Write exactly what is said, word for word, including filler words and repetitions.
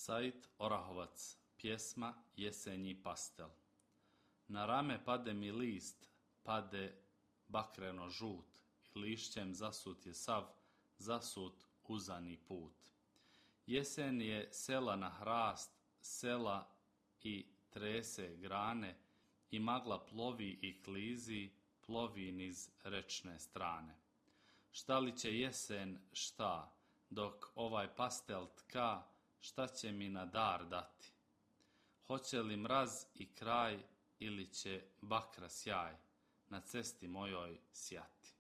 Said Orahovac, pjesma Jesenji pastel. Na rame pade mi list, pade bakreno žut, i lišćem zasut je sav, zasut uzani put. Jesen je sela na hrast, sela i trese grane, i magla plovi i klizi, plovi niz rečne strane. Šta li će jesen, šta, dok ovaj pastel tka, šta će mi na dar dati? Hoće li mraz i kraj, ili će bakra sjaj na cesti mojoj sjati?